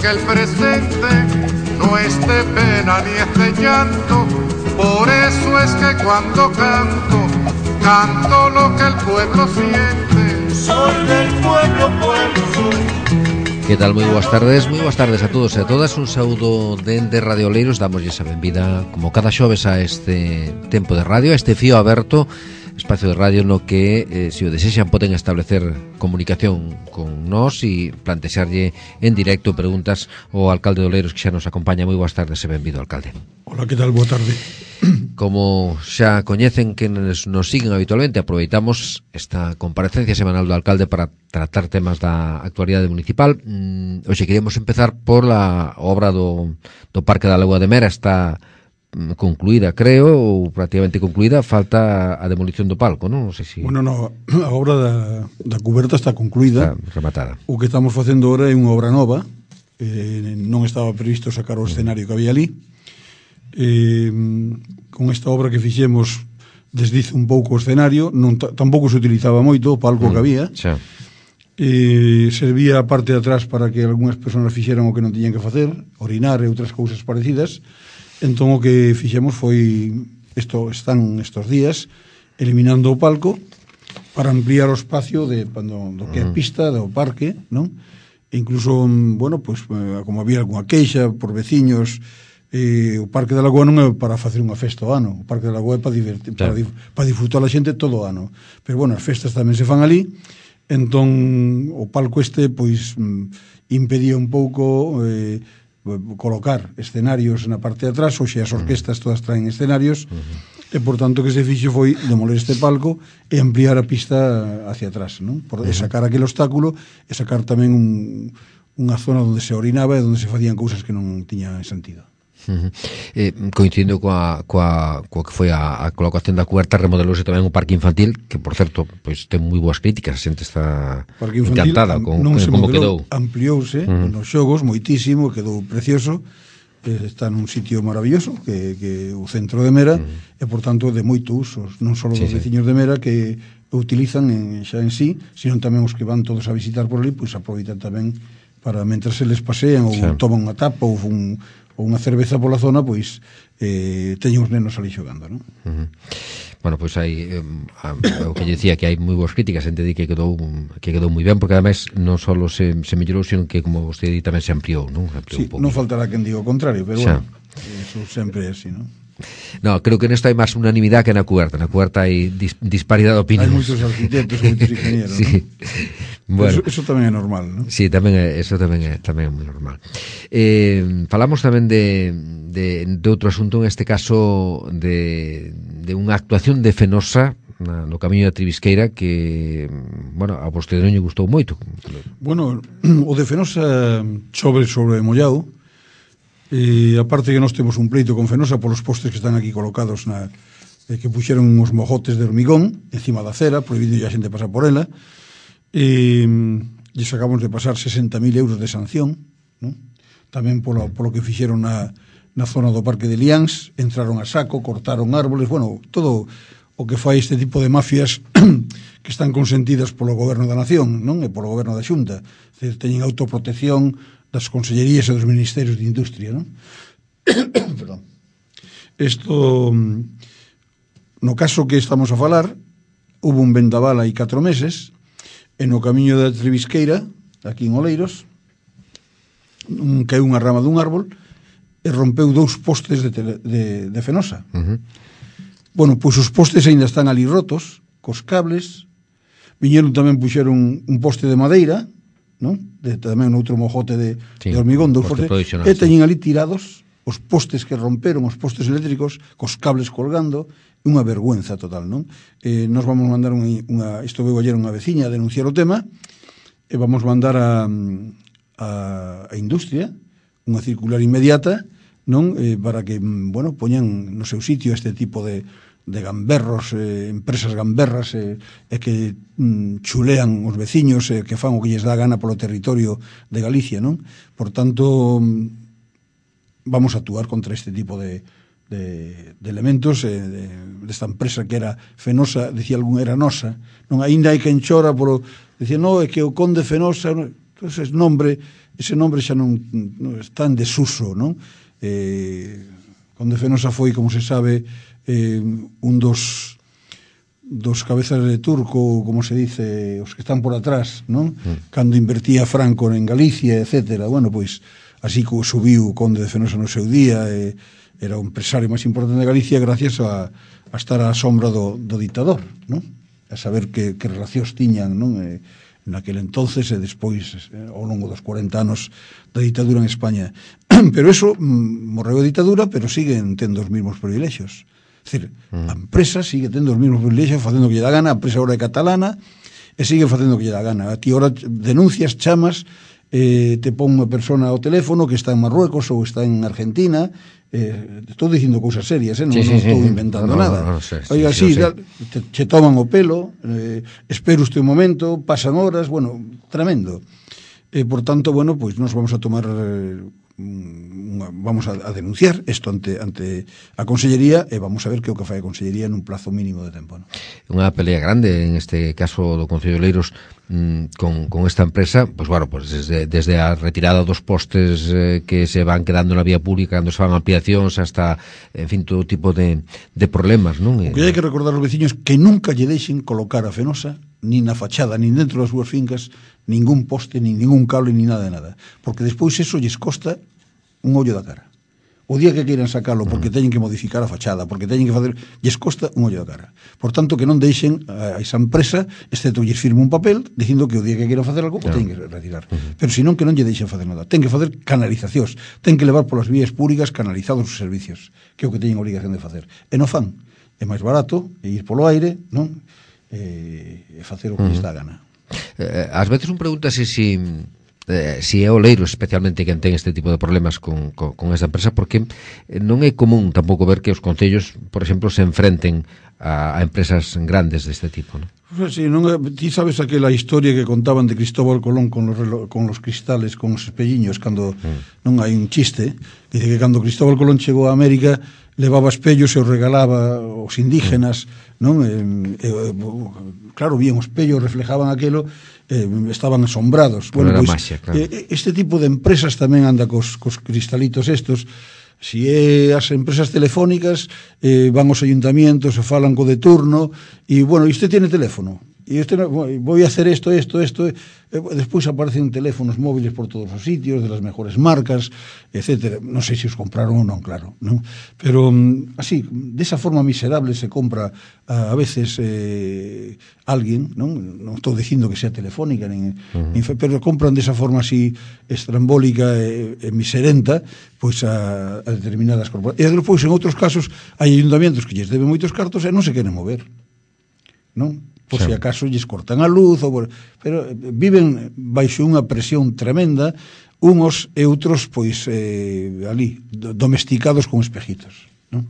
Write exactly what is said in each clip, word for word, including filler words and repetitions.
que el presente no es de pena ni es de llanto. Por eso es que cuando canto, canto lo que el pueblo siente. Soy del pueblo, pueblo soy. Que tal? Moi boas tardes, moi boas tardes a todos e a todas. Un saúdo dende Radio Oleiros. Damoslle a benvida como cada xoves a este tempo de radio, a este fío aberto, espacio de radio no que, eh, se o desexan, poden establecer comunicación con nós e plantexarlle en directo preguntas ao alcalde de Oleiros, que xa nos acompaña. Moi boas tardes e benvido, alcalde. Hola, que tal? Boa tarde. Como xa coñecen que nos, nos siguen habitualmente, aproveitamos esta comparecencia semanal do alcalde para tratar temas da actualidade municipal. Mm, hoxe queríamos empezar por la obra do, do Parque da Lagoa de Mera. Está mm, concluída, creo, ou prácticamente concluída. Falta a demolición do palco, non? Non sei si... Bueno, no, a obra da, da cuberta está concluída. Está rematada. O que estamos facendo ahora é unha obra nova. Eh, non estaba previsto sacar o escenario que había ali. Eh, con esta obra que fixemos desdice un pouco o escenario, non tampouco se utilizaba moito o palco mm, que había. Xa. Eh, servía a parte de atrás para que algunhas persoas fixeran o que non tiñan que facer, orinar e outras cousas parecidas. Entón o que fixemos foi isto, están estos días eliminando o palco para ampliar o espacio de do, do que é pista do parque, non? E incluso, bueno, pues, como había algunha queixa por veciños, eh, o Parque da Lagoa non é para facer unha festa ao ano. O Parque da Lagoa é para, divertir, para, para disfrutar a xente todo o ano. Pero, bueno, as festas tamén se fan ali. Entón, o palco este, pois, impedía un pouco eh, colocar escenarios na parte de atrás. Oxe, as orquestas todas traen escenarios. Uh-huh. E, por tanto, que se fixo foi demoler este palco e ampliar a pista hacia atrás, non? Por uh-huh. sacar aquel obstáculo e sacar tamén un, unha zona onde se orinaba e onde se facían cousas que non tiñan sentido. Uh-huh. Eh, coincidindo coa, coa, coa que foi a, a colocación da cuberta, remodelouse tamén un parque infantil que, por certo, pois ten moi boas críticas. A xente está encantada con, con como quedou. Ampliouse uh-huh. nos xogos moitísimo, quedou precioso. Eh, está nun sitio maravilloso que, que o centro de Mera uh-huh. e, por tanto, de moito uso, non só sí, dos sí. veciños de Mera que o utilizan en, xa en sí, sino tamén os que van todos a visitar por ali, pois aproveitan tamén para, mentras se les pasean ou sí. toman unha tapa ou un ou unha cerveza pola zona, pois eh, teñen os nenos ali xogando, non? Uh-huh. Bueno, pois hai eh, o que lle dicía, que hai moi boas críticas, xente di que quedou que quedou moi ben, porque ademais non só se, se mellorou, sino que, como vostede di, tamén se ampliou, non? Ampliou sí, non faltará quen diga o contrario, pero xa. Bueno, eso sempre é así, non? No, creo que nesto hai máis unanimidade que na cuberta. Na cuberta hai dis, disparidade de opinións. Hai moitos arquitectos, moitos ingenieros, sí. ¿no? Bueno, eso, eso tamén é normal, non? Sí, tamén é, eso tamén é, tamén é moi normal. Eh, falamos tamén de, de, de outro asunto, en este caso de, de unha actuación de Fenosa na, no camiño da Tribisqueira que, bueno, a vostede non lle gustou moito. Bueno, o de Fenosa chove sobre mollado. E aparte que nós temos un pleito con Fenosa polos postes que están aquí colocados na, eh, que puxeron uns mojotes de hormigón encima da acera, prohibindo ya a xente pasar por ela, e lles acabamos de pasar sesenta mil euros de sanción, ¿no? Tamén polo, polo que fixeron na, na zona do Parque de Liáns, entraron a saco, cortaron árboles, bueno, todo o que fai este tipo de mafias que están consentidas polo goberno da nación, non? E polo goberno da Xunta. Decir, teñen autoprotección das consellerías e dos ministerios de industria, non? Perdón. Isto, no caso que estamos a falar, hubo un vendaval hai catro meses e no camiño da Tribisqueira, aquí en Oleiros, un, caeu unha rama dun árbol e rompeu dous postes de, tele, de, de Fenosa. Uh-huh. Bueno, pois os postes ainda están ali rotos, cos cables, viñeron tamén puxeron un, un poste de madeira, non? De, tamén outro mojote de, sí, de hormigón, dous postes, e teñen ali tirados os postes que romperon, os postes eléctricos, cos cables colgando, unha vergüenza total, non? Eh, nos vamos mandar unha, unha isto veu ayer unha veciña a denunciar o tema, e vamos mandar a, a, a industria unha circular inmediata, non? Eh, para que, bueno, poñan no seu sitio este tipo de de gamberros, eh, empresas gamberras eh, e que mm, chulean os veciños e eh, que fan o que lles dá gana polo territorio de Galicia, non? Por tanto, vamos a actuar contra este tipo de, de, de elementos eh, de, desta empresa que era Fenosa, decía algún, era nosa, non? Ainda hai quen chora polo, decía, no, é que o conde Fenosa, entonces nombre ese nombre xa non, non está en desuso, non? Eh, Conde Fenosa foi, como se sabe, eh, un dos dos cabezas de turco, como se dice, os que están por atrás, non? Mm. Cando invertía Franco en Galicia, etcétera. Bueno, pois, así que subiu o Conde de Fenosa no seu día, eh, era o empresario máis importante de Galicia gracias a, a estar á sombra do, do dictador, non? A saber que, que relacións tiñan, non? Eh, naquele entonces e despois eh, ao longo dos cuarenta anos da ditadura en España. Pero eso, mm, morreu a ditadura, pero siguen tendo os mesmos privilexios. É dicir, mm. a empresa sigue tendo os mesmos privilexios, facendo o que lle dá gana, a empresa agora é catalana e sigue facendo o que lle dá gana. A ti ahora denuncias, chamas, eh, te pon unha persona ao teléfono que está en Marruecos ou está en Argentina, eh, estou dicindo cousas serias, eh? non, sí, sí, non estou sí, inventando no, nada. no, no, sí, Oiga, sí, sí, sí, te, te toman o pelo, eh, espero usted un momento, pasan horas, bueno, tremendo. Eh, por tanto, bueno, pois pues nos vamos a tomar... Eh, Una, vamos a, a denunciar isto ante, ante a Consellería e vamos a ver que o que fai a Consellería nun plazo mínimo de tempo, ¿no? Unha pelea grande en este caso do Concello de Oleiros mmm, con, con esta empresa, pois pues, bueno, pues desde, desde a retirada dos postes eh, que se van quedando na vía pública cando se van ampliacións hasta, en fin, todo tipo de, de problemas, non? O que hai que recordar aos veciños que nunca lle deixen colocar a Fenosa nin na fachada, nin dentro das súas fincas ningún poste, nin ningún cable, nin nada de nada, porque despois eso lles costa un ollo da cara. O día que queiran sacalo porque teñen que modificar a fachada, porque teñen que facer, lles costa un ollo da cara. Por tanto, que non deixen a esa empresa, excepto lles firme un papel dicindo que o día que queiran facer algo, claro, teñen que retirar. Uh-huh. Pero senón que non lle deixen facer nada. Ten que facer canalizacións, ten que levar polas vías públicas canalizados os servicios, que é o que teñen obrigación de facer. E non fan. É máis barato e ir polo aire, non? E, e facer o que uh-huh. lles dá gana. Eh, ás veces un pregunta se si... Eh, si é Oleiros especialmente quen ten este tipo de problemas con, con, con esta empresa, porque non é común tampouco ver que os concellos, por exemplo, se enfrenten a, a empresas grandes deste tipo, non? Pues sí, non, ti sabes aquela historia que contaban de Cristóbal Colón con los, con los cristales, con os espelliños, cando mm. non hai un chiste, dice que cando Cristóbal Colón chegou a América levaba espellos e os regalaba aos indígenas, mm. non? E, e, claro, vían os espellos, reflejaban aquelo, eh, estaban asombrados. Bueno, pois, maxia, claro. eh, este tipo de empresas tamén anda cos, cos cristalitos estos. Si é as empresas telefónicas, eh, van aos ayuntamientos e falan co de turno, e, bueno, e usted tiene teléfono, e este, voy a hacer esto, esto, esto, e despois aparecen teléfonos móviles por todos os sitios, de las mejores marcas, etcétera. Non sei se os compraron ou non, claro, non? Pero así, desa forma miserable se compra a, a veces eh, alguén, non? Non estou dicindo que sea telefónica, nin, uh-huh. nin, pero compran desa forma así estrambólica e, e miserenta, pois a, a determinadas corporacións. E despois, en outros casos, hai ayuntamientos que lles deben moitos cartos e non se queren mover, non? Por sí. Si acaso lles cortan a luz, ou por... pero viven baixo unha presión tremenda, unos e outros, pois, eh, ali, domesticados con espejitos, non?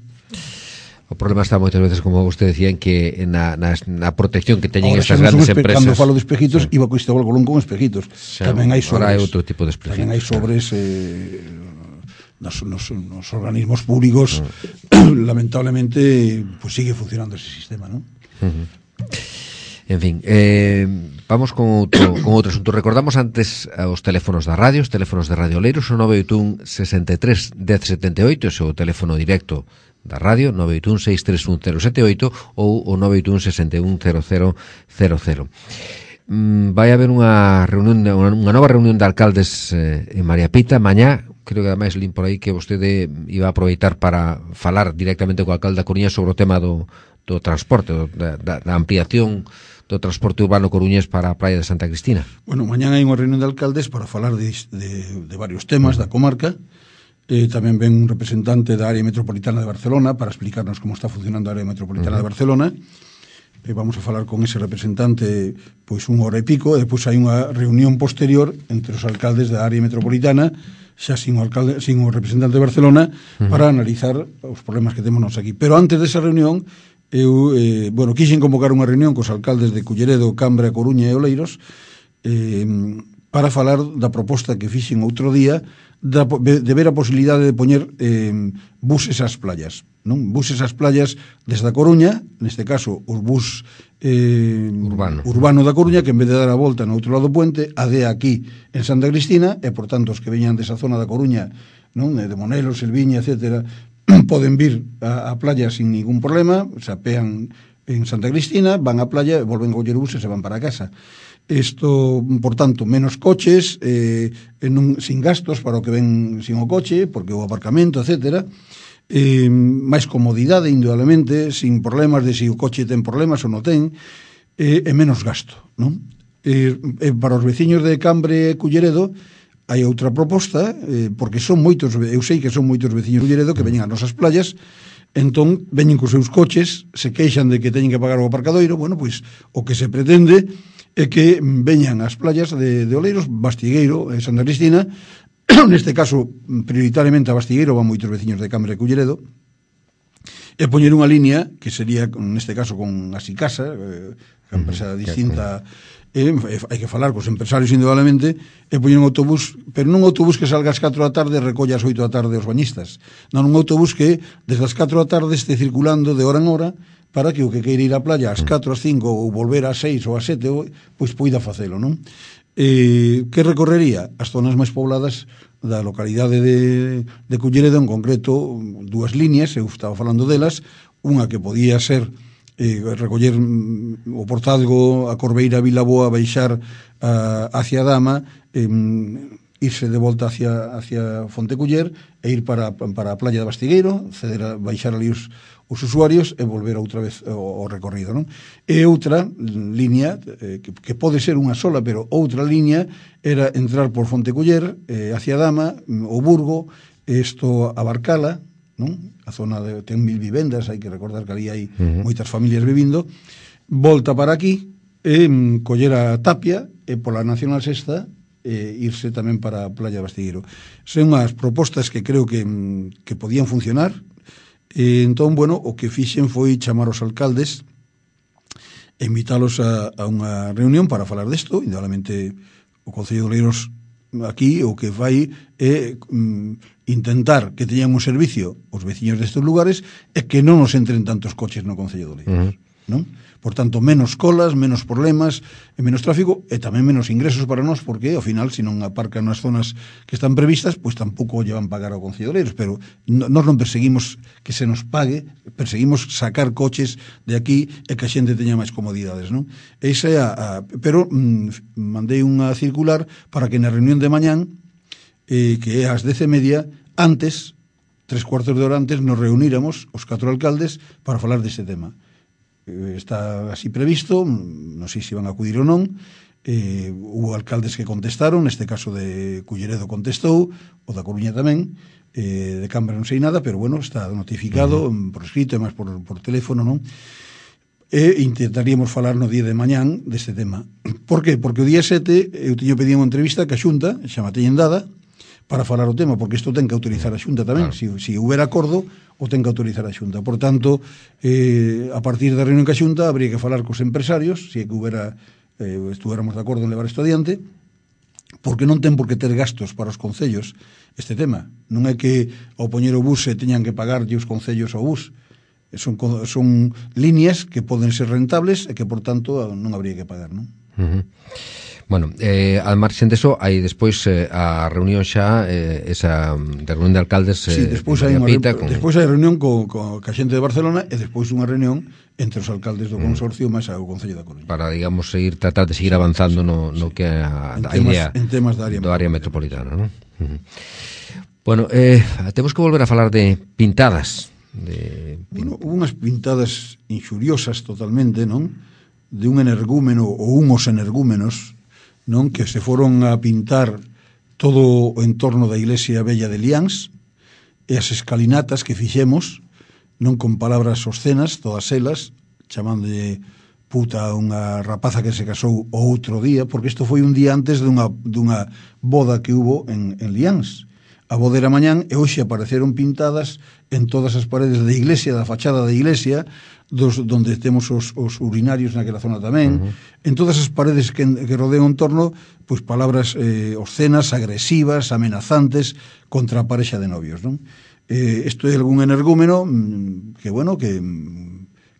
O problema está moitas veces, como vostede decía, en que na, na, na protección que teñen ahora, estas grandes espe- empresas. Cando falo de espejitos, sí. Iba con Cristóbal Colón con espejitos. Sí, tamén hai sobres. Ahora hai outro tipo de espejitos. Tamén hai sobres eh, nos, nos, nos organismos públicos, mm. lamentablemente, pues sigue funcionando ese sistema, non? Uh-huh. En fin, eh, vamos con outro, con outro asunto. Recordamos antes os teléfonos da radio, os teléfonos de Radio Oleiros, o nove oito un sesenta e tres dez setenta e oito, ese é o teléfono directo da radio, nove oito un seis tres un cero sete oito, ou o nove oito un sesenta e un cero cero cero cero. Mm, vai haber unha reunión, unha nova reunión de alcaldes eh, en María Pita mañá. Creo que ademais lín por aí que vostede iba a aproveitar para falar directamente co alcalde da Coruña sobre o tema do, do transporte, do, da, da ampliación do transporte urbano coruñés para a praia de Santa Cristina. Bueno, mañán hai unha reunión de alcaldes para falar de, de, de varios temas da comarca. Eh, tamén ven un representante da área metropolitana de Barcelona para explicarnos como está funcionando a área metropolitana uh-huh. de Barcelona. Eh, vamos a falar con ese representante pois unha hora e pico, e depois hai unha reunión posterior entre os alcaldes da área metropolitana, xa sin o, alcalde, sin o representante de Barcelona, uh-huh. para analizar os problemas que temos nos aquí. Pero antes desa reunión, eu, eh, bueno, quixen convocar unha reunión cos alcaldes de Culleredo, Cambra, Coruña e Oleiros eh, para falar da proposta que fixen outro día da, de ver a posibilidade de poñer eh, buses ás playas. non? Buses ás playas desde a Coruña, neste caso os bus eh, urbano. urbano da Coruña, que en vez de dar a volta no outro lado do puente, adea aquí en Santa Cristina, e por tanto os que veñan desa zona da Coruña, non? De Monelos, Elviña, etcétera, poden vir a, a playa sin ningún problema, se apean en Santa Cristina, van á playa, volven a coller o bus e se van para casa. Isto, por tanto, menos coches, eh, non, sin gastos para o que ven sin o coche, porque o aparcamento, etcétera, eh, máis comodidade, indudablemente, sin problemas de se si o coche ten problemas ou non ten, eh, e menos gasto, non? Eh, eh, para os veciños de Cambre e Culleredo hai outra proposta, eh, porque son moitos, eu sei que son moitos veciños de Culleredo que veñen ás nosas playas, entón veñen cos seus coches, se queixan de que teñen que pagar o aparcadoiro. Bueno, pois o que se pretende é que veñan ás playas de, de Oleiros, Bastigueiro e Santa Cristina, neste caso prioritariamente a Bastigueiro van moitos veciños de Cambre e Culleredo, e poñer unha línea que sería, neste caso, con Asicasa, eh, a empresa distinta, e, e hai que falar cos empresarios indudablemente, e poñer un autobús, pero non un autobús que salga ás catro da tarde e recolla ás oito da tarde os bañistas, non un autobús que desde as catro da tarde este circulando de hora en hora, para que o que queira ir á playa ás catro, ás cinco ou volver ás seis ou ás sete, pois poida facelo, non? Eh, que recorrería? As zonas máis pobladas da localidade de, de Culleredo, en concreto dúas líneas, eu estaba falando delas, unha que podía ser eh, recoller o Portalgo, a Corbeira, a Vilaboa, baixar a, hacia Dama, eh, irse de volta hacia, hacia Fonteculler e ir para, para a playa de Bastigueiro, ceder a, baixar ali os os usuarios e volver outra vez o, o recorrido, non? E outra línea, eh, que, que pode ser unha sola, pero outra línea era entrar por Fonteculler, eh, hacia Dama, o Burgo, isto a Barcala, non? A zona de, ten mil vivendas, hai que recordar que ali hai uh-huh. moitas familias vivindo, volta para aquí, e mm, coller a Tapia, e pola Nacional Sexta, e irse tamén para a Playa de Bastigueiro. Son unhas propostas que creo que, que podían funcionar. E entón, bueno, o que fixen foi chamar os alcaldes e invítalos a, a unha reunión para falar desto. Indudablemente o Concello de Oleiros aquí o que vai é mm, intentar que teñan un servicio os veciños destes lugares e que non nos entren tantos coches no Concello de Oleiros, uh-huh. non? Por tanto, menos colas, menos problemas e menos tráfico e tamén menos ingresos para nós, porque ao final, se non aparcan nas zonas que están previstas, pois tampouco lle van pagar ao Concello de Oleiros, pero nós non perseguimos que se nos pague, perseguimos sacar coches de aquí e que a xente teña máis comodidades, non? Esa é a, a pero mm, mandei unha circular para que na reunión de mañán, eh, que é ás dez e media, antes, tres cuartos de hora antes, nos reuníramos os catro alcaldes para falar deste tema. Está así previsto, non sei se van a acudir ou non. Eh, hubo alcaldes que contestaron, neste caso de Culleredo contestou, o da Coruña tamén, eh, de Cambre non sei nada, pero bueno, está notificado uh-huh. por escrito e máis por, por teléfono, non? E intentaríamos falar no día de mañán deste tema. Por que? Porque o día sete eu tiño pedido unha entrevista que a Xunta xa me teñen dada para falar o tema, porque isto ten que autorizar a Xunta tamén, claro. si, si houbera acordo o ten que autorizar a Xunta. Por tanto, eh, a partir da reunión ca Xunta habría que falar cos empresarios, se si é que houbera, eh, estuéramos de acordo en levar isto adiante, porque non ten por que ter gastos para os concellos este tema. Non é que ao poñer o bus se teñan que pagarlle os concellos ao bus. Son, son líneas que poden ser rentables e que, por tanto, non habría que pagar, non? Uh-huh. Bueno, eh, al marxen deso, hai despois eh, a reunión xa, eh, esa de reunión de alcaldes eh, sí, despois hai unha Pita, con... despois hai reunión co, co, ca xente de Barcelona e despois unha reunión entre os alcaldes do consorcio mm. máis ao Concello da Coruña. Para, digamos, seguir tratar de seguir sí, avanzando sí, no, no sí. que a, en a temas, idea en temas da área, do área metropolitana, non? Uh-huh. Bueno, eh, temos que volver a falar de pintadas. De... Bueno, unhas pintadas inxuriosas totalmente, non? De un energúmeno ou unhos energúmenos, non, que se foron a pintar todo o entorno da iglesia Bella de Liáns e as escalinatas que fixemos, non con palabras obscenas, todas elas, chamándolle puta a unha rapaza que se casou o outro día, porque isto foi un día antes dunha, dunha boda que hubo en, en Liáns. A boda era mañán e hoxe apareceron pintadas en todas as paredes da iglesia, da fachada da iglesia, dos, donde temos os, os urinarios naquela zona tamén, uh-huh. en todas as paredes que, que rodean o entorno, pois palabras eh, obscenas, agresivas, amenazantes contra a parexa de novios, non? eh, isto é algún energúmeno que, bueno, que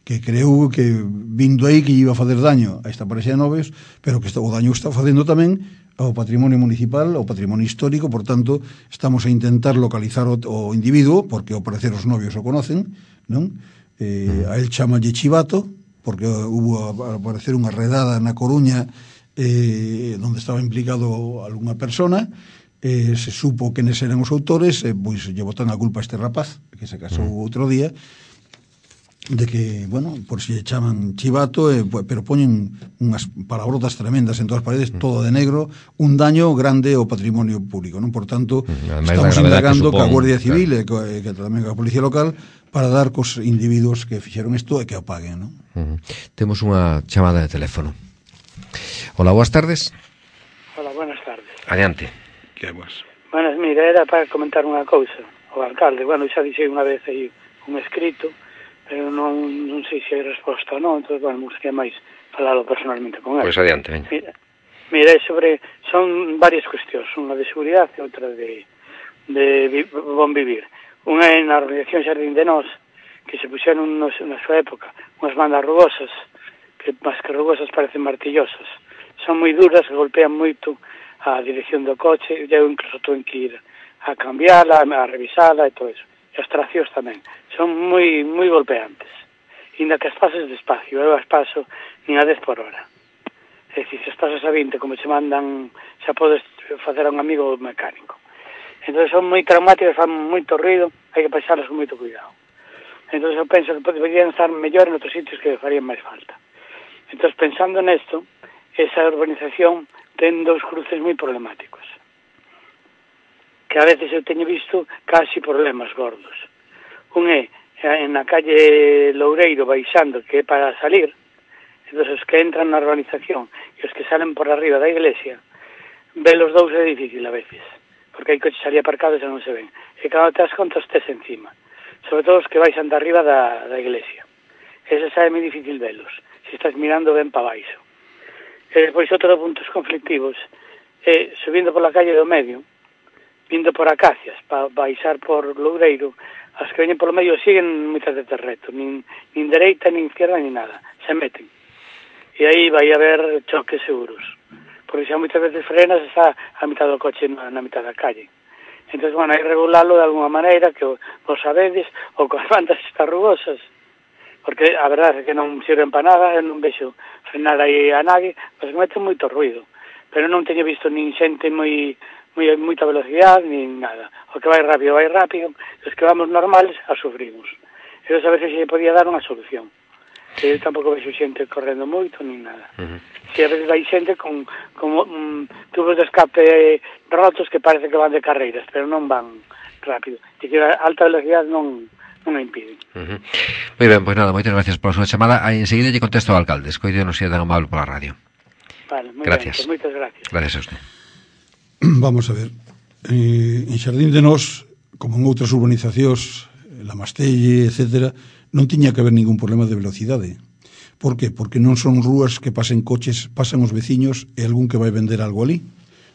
que creou que vindo aí que iba a fazer daño a esta parexa de novios, pero que está, o daño está facendo tamén ao patrimonio municipal, ao patrimonio histórico. Por tanto, estamos a intentar localizar o, o individuo, porque ao parecer os novios o conocen, non? Eh, a él chamalle Chivato, porque hubo a aparecer unha redada na Coruña eh, onde estaba implicado algunha persona, eh, se supo que nes eran os autores, eh, pois lle botan a culpa a este rapaz que se casou outro día, de que, bueno, por si lle chaman Chivato, eh, pero poñen unhas palabrotas tremendas en todas as paredes, todo de negro, un daño grande ao patrimonio público, non? Por tanto, además, estamos indagando que, supón, que a Guardia Civil, claro, e que, que tamén a Policía Local, para dar cos individuos que fixeron isto e que o paguen, non? Uh-huh. Temos unha chamada de teléfono. Hola, boas tardes. Hola, buenas tardes. Adiante. Que boas. Buenas, mira, era para comentar unha cousa ao alcalde. Bueno, xa dixei unha vez aí un escrito, pero non, non sei se hai resposta ou non, entón, bueno, me gustaría máis falalo personalmente con ele. Pois adiante, veña. Mira, mira, sobre, son varias cuestións, unha de seguridade e outra de, de bon vivir. Unha é na organización Xardín de Nós, que se puxeron nos, na súa época unhas bandas rugosas, que máis que rugosas parecen martillosas. Son moi duras, golpean moito a dirección do coche, eu incluso tuve que ir a cambiarla, a revisala e todo eso. E as traccións tamén. Son moi moi golpeantes. Inda que as pases despacio, eu as paso nin a dez por hora. É dicir, se as pasas a vinte, como se mandan, xa podes facer a un amigo mecánico. Entón son moi traumáticas, fan moito ruido, hai que pasarlas con moito cuidado. Entón eu penso que poderían estar mellor en outros sitios que farían máis falta. Entón, pensando nesto, esa urbanización ten dous cruces moi problemáticos, que a veces eu teño visto casi problemas gordos. Un é en na calle Loureiro baixando, que é para salir, entón os que entran na urbanización e os que salen por arriba da iglesia, ver os dous é difícil a veces, porque hai coches ali aparcados e non se ven. E cando te das conta, estés encima. Sobre todo os que baixan de arriba da, da iglesia. Ese xa é moi difícil velos, se estás mirando ben para baixo. E despois outro puntos conflictivos é subindo pola calle do medio, vindo por Acacias, para baixar por Loureiro, as que veñen polo medio siguen moitas de terreto, nin, nin dereita, nin izquierda, nin nada, se meten. E aí vai haber choques seguros, porque xa moitas veces frenas está a mitad do coche na, na mitad da calle. Entón, bueno, hai que regularlo de alguna maneira, que vos sabedes, ou coas bandas estas rugosas, porque a verdade é que non sirven para nada, eu non vexo frenar aí a nadie, pois meten moito ruido, pero non teño visto nin xente moi... Moi, moita velocidade, nin nada. O que vai rápido, vai rápido. Os que vamos normales, a sufrimos. E a veces se podía dar unha solución. Que eu tampouco vexo xente correndo moito, nin nada. Uh-huh. Se a veces vai xente con, con um, tubos de escape rotos que parece que van de carreiras, pero non van rápido. E que a alta velocidade non, non a impiden. Uh-huh. Moi ben, pois nada, moitas gracias pola súa chamada. Aí enseguida lle contesto ao alcalde. Escoido non sea tan amable pola radio. Vale, moi gracias. Ben, pues moitas gracias. Gracias a usted. Vamos a ver, eh, en Xardín de Nós, como en outras urbanizacións, La Mastelle, etcétera, non tiña que haber ningún problema de velocidade. Por que? Porque non son rúas que pasen coches, pasan os veciños e algún que vai vender algo ali,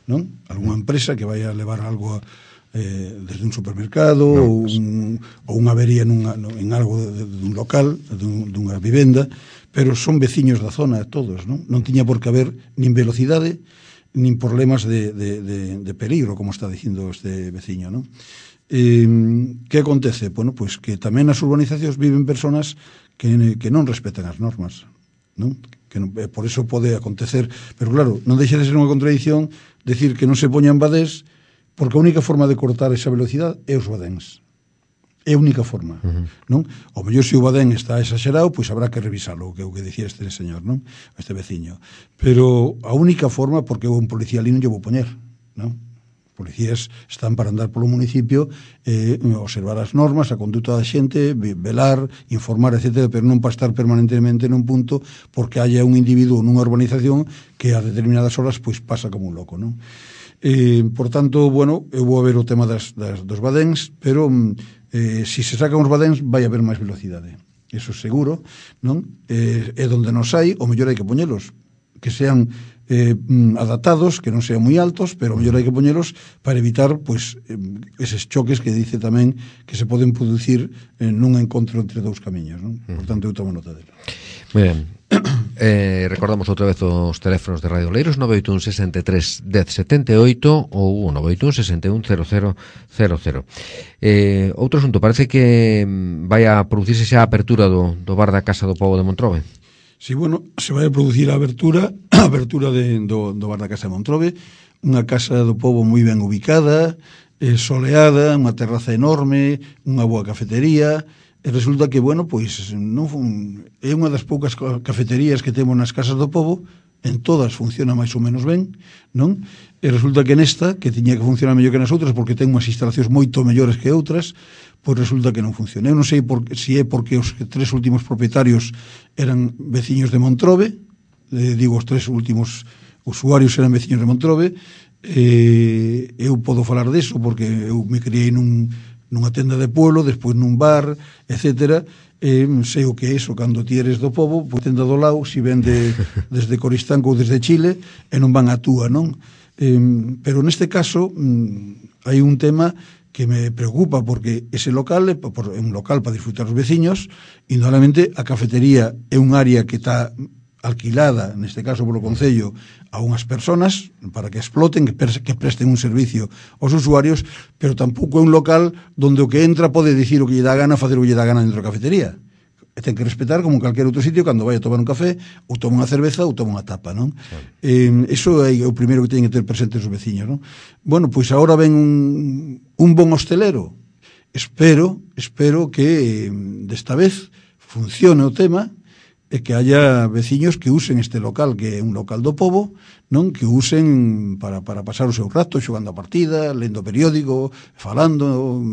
non? Alguna empresa que vai a levar algo a, eh, desde un supermercado no, ou, un, ou unha avería nunha, no, en algo de, de un local, dun, dunha vivenda, pero son veciños da zona todos, non? Non tiña por que haber nin velocidade nin problemas de, de, de, de peligro, como está dicindo este veciño, non? Eh, que acontece? Bueno, pois que tamén nas urbanizacións viven personas que, que non respetan as normas, non? Que non, por eso pode acontecer, pero claro, non deixa de ser unha contradición decir que non se poñan badés, porque a única forma de cortar esa velocidade é os badéns. É a única forma, uh-huh. non? O mellor se o badén está exagerado, pois habrá que revisarlo, que é o que dicía este señor, non? Este veciño. Pero a única forma, porque un policía ali non lle vou poñer, non? Policías están para andar polo municipio, eh, observar as normas, a conduta da xente, velar, informar, etcétera, pero non para estar permanentemente nun punto porque haya un individuo nunha urbanización que a determinadas horas pois pasa como un loco, non? Eh, por tanto, bueno, eu vou a ver o tema das, das, dos badéns, pero eh, se se sacan os badéns vai haber máis velocidade, eso seguro, non? Eh, é donde nos hai, o mellor hai que poñelos, que sean eh, adaptados, que non sean moi altos, pero mellor hai que poñelos para evitar pois eh, eses choques que dice tamén que se poden producir eh, nun encontro entre dous camiños, non? Por tanto, eu tomo nota dela. Moi ben. Eh, recordamos outra vez os teléfonos de Radio Oleiros: nove oito un, sesenta e tres, dez, setenta e oito ou nove oito un, sesenta e un, cero cero cero cero. Eh, outro asunto, parece que vai a producirse xa a apertura do, do bar da Casa do Pobo de Montrobe. Si, sí, bueno, se vai a producir a abertura a abertura de, do, do bar da Casa de Montrobe, unha casa do pobo moi ben ubicada, eh, soleada, unha terraza enorme, unha boa cafetería. E resulta que, bueno, pois non fun, é unha das poucas cafeterías que temos nas casas do pobo, en todas funciona máis ou menos ben, non? E resulta que nesta, que tiña que funcionar mellor que nas outras, porque ten unhas instalacións moito mellores que outras, pois resulta que non funciona. Eu non sei por, si é porque os tres últimos propietarios eran veciños de Montrobe, eh, digo, os tres últimos usuarios eran veciños de Montrobe, eh, eu podo falar deso, porque eu me criei nun nunha tenda de pueblo, despois nun bar, etcétera, eh, sei o que é iso, cando ti eres do pobo, pois tenda do lado, si ven de, desde Coristanco ou desde Chile, e non van a túa, non? Eh, pero neste caso, mm, hai un tema que me preocupa, porque ese local é un local para disfrutar os veciños, e indudablemente a cafetería é un área que está alquilada, neste caso polo Concello, a unhas persoas para que exploten, que, que presten un servicio aos usuarios, pero tampouco é un local donde o que entra pode dicir o que lle dá gana, facer o que lle dá gana dentro da cafetería. E ten que respetar como en calquer outro sitio cando vai a tomar un café, ou toma unha cerveza ou toma unha tapa, non? Sí. Eh, iso é o primeiro que teñen que ter presentes os veciños, non? Bueno, pois agora ven un, un bon hostelero. Espero, espero que desta vez funcione o tema, e que haya veciños que usen este local, que é un local do pobo, non? Que usen para, para pasar o seu rato xogando a partida, lendo periódico, falando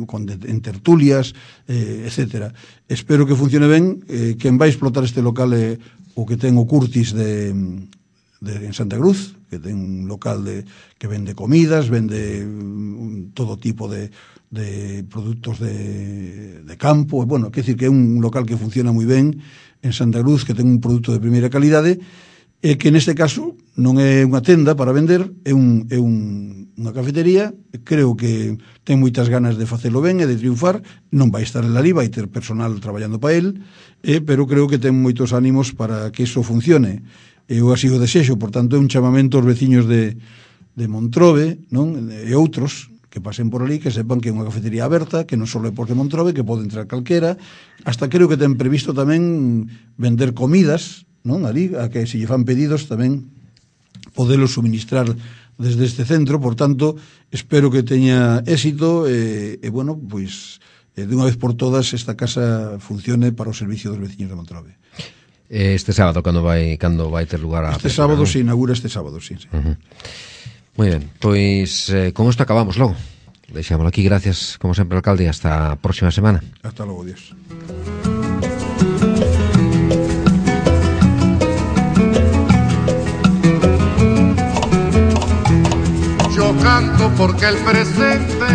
con de, en tertulias, eh, etcétera. Espero que funcione ben. Eh, quen vai explotar este local é o que ten o Curtis de, de, en Santa Cruz, que ten un local de, que vende comidas, vende un, todo tipo de de produtos de, de campo. Bueno, quer decir que é un local que funciona moi ben en Santa Cruz, que ten un produto de primeira calidade, e que neste caso non é unha tenda para vender, é, un, é un, unha cafetería. Creo que ten moitas ganas de facelo ben e de triunfar. Non vai estar en la liba, vai ter personal traballando para el, eh, pero creo que ten moitos ánimos para que iso funcione. Eu así o desexo. Por tanto, é un chamamento aos veciños de, de Montrobe, non? E outros que pasen por ali, que sepan que é unha cafetería aberta, que non só é por de Montrobe, que pode entrar calquera. Hasta creo que ten previsto tamén vender comidas, non? Ali, a que se lle fan pedidos tamén podelos suministrar desde este centro. Por tanto, espero que teña éxito e, e bueno, pois de unha vez por todas esta casa funcione para o servicio dos veciños de Montrobe. Este sábado, cando vai cando vai ter lugar a Este sábado, ¿no? Se inaugura este sábado, sí, sí. Uh-huh. Moi ben, pois eh, con isto acabamos logo. Deixámoslo aquí, gracias como sempre, alcalde, hasta a próxima semana. Hasta logo, Dios. Yo canto porque el presente